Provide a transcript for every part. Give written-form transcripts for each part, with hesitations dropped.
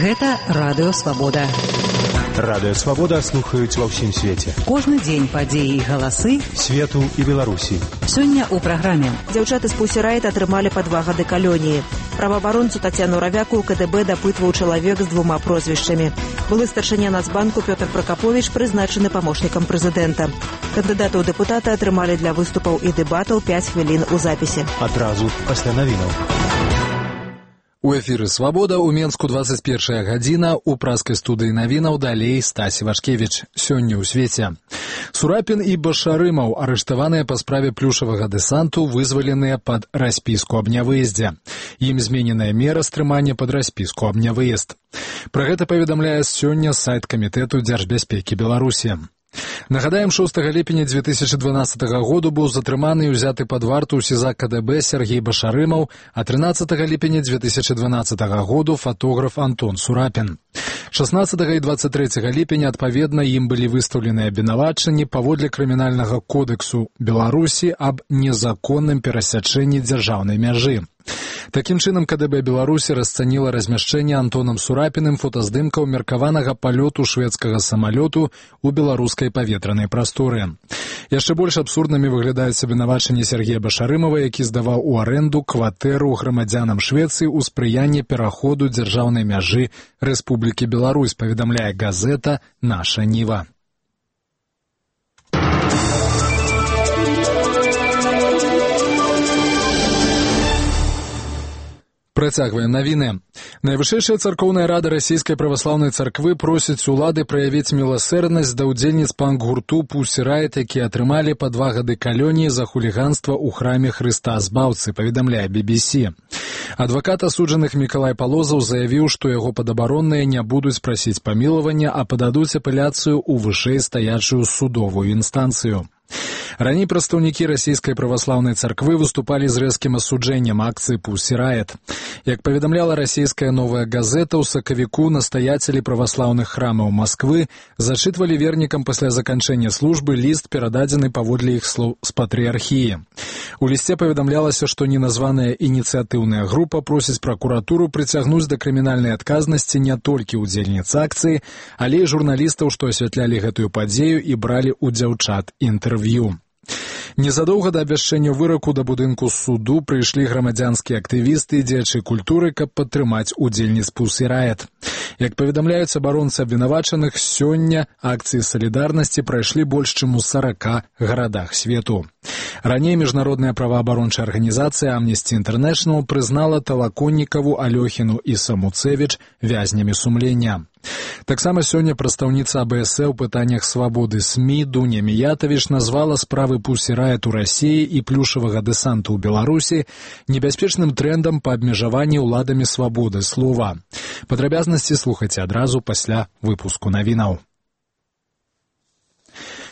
Гэта Радыё Свабода. Радыё Свабода слухаюць ва ўсім свеце. Кожны дзень падзеі і галасы свету і Беларусі. Сёння ў праграме. Дзяўчаты з Pussy Riot атрымалі па 2 гады калоніі. Праваабаронцу Тацяну Равяку ў КДБ дапытваў чалавек з 2 прозвішчамі. Былы старшыня Нацбанку Пётр Пракаповіч прызначаны памочнікам прэзідэнта. Кандыдаты ў дэпутаты атрымалі для выступаў і дэбатаў 5 хвілін у запісе. Адразу пасля навінаў. У эфіры «Свабода» у Менску 21 гадзіна, у праскай студыі навінаў далей Стасі Вашкевіч. Сёння ў свеце. Сурапін і Башарымаў, арыштаваныя па справе плюшавага дэсанту, вызваленыя пад распіску аб нявыездзе. Ім змененая мера стрымання пад распіску аб нявыезд. Пра гэта паведамляе сёння сайт Камітэту дзяржбяспекі Беларусі. Нагадаем, 6 ліпеня 2012 году быў затрыманы і ўзяты пад варту ў СІЗА КДБ Сергей Башарымаў, а 13 ліпеня 2012 году фотограф Антон Сурапін. 16 і 23 ліпеня, адпаведна, ім былі выстаўлены абвінавачанні паводле крымінальнага кодексу Беларусі аб незаконным перасячэнні дзяржаўнай мяжы. Такім чынам, КДБ Беларусі расцаніла размяшчэнне Антонам Сурапіным фотаздымкаў меркаванага палёту шведскага самалёту ў беларускай паветранай прасторы. Яшчэ больш абсурднымі выглядаюць абвінавачанні Сергея Башарымава, які здаваў у арэнду кватэру грамадзянам Швецыі ў спрыянні пераходу дзяржаўнай мяжы Рэспублікі Беларусь, паведамляе газета «Наша Ніва». Працягваем навіны. Найвышэйшая царкоўная рада расійскай праваслаўнай царквы просіць улады праявіць міласэрнасць да ўдзельніц панк-гурту Pussy Riot, якія атрымалі па 2 гады калоніі за хуліганства ў храме Хрыста Збаўцы, паведамляе BBC. Адвакат асуджаных Мікалай Палозаў заявіў, што яго падабаронныя не будуць прасіць памілавання, а пададуць апеляцыю ў вышэйстаячую судовую інстанцыю. Раней прадстаўнікі расійскай праваслаўнай царквы выступалі з рэзкім асуджэннем акцыі Pussy Riot. Як паведамляла расійская «Новая газета», у сакавіку настаяцелі праваслаўных храмаў Масквы зачытвалі вернікам пасля заканчэння службы ліст, перададзены паводле іх слоў з патрыархіі. У лісце паведамлялася, што неназваная ініцыятыўная група просіць пракуратуру прыцягнуць да крымінальнай адказнасці не толькі ўдзельніц акцыі, але і журналістаў, што асвятлялі гэтую падзею і бралі ў дзяўчат інтэрв'ю. Незадоўга да абвяшчэння выраку да будынку суду прыйшлі грамадзянскія актывісты і дзеячы культуры, каб падтрымаць удзельніц Pussy Riot. Як паведамляюць абаронцы абвінавачаных, сёння акцыі салідарнасці прайшлі больш чым у 40 гарадах свету. Раней міжнародная праваабарончая арганізацыя Amnesty International прызнала Талаконнікаву, Алёхіну і Самуцевіч вязнямі сумлення. Таксама сёння прадстаўніца АБС ў пытаннях свабоды СМІ Дуня Міятавіч назвала справы Pussy Riot у Расіі і плюшавага дэсанту ў Беларусі небяспечным трэндам па абмежаванні ўладамі свабоды слова. Падрабязнасці слухайце адразу пасля выпуску навінаў.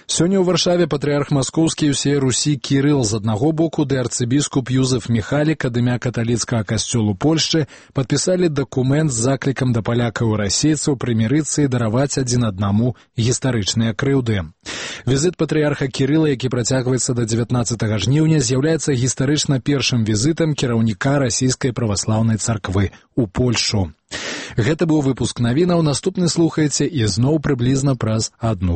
Сёння ў Варшаве патрыарх маскоўскі і ўсей Русі Кірыл з аднаго боку ды арцыбіскуп Юзеф Міхалік ад імя каталіцкага касцёлу Польшчы падпісалі дакумент з заклікам да палякаў і расейцаў прымірыцца і дараваць адзін аднаму гістарычныя крыўды. Візіт патрыарха Кірыла, які працягваецца да 19 жніўня, з'яўляецца гістарычна першым візітам кіраўніка расійскай праваслаўнай царквы ў Польшчу. Гэта быў выпуск навінаў, наступны слухаеце і зноў прыблізна праз 1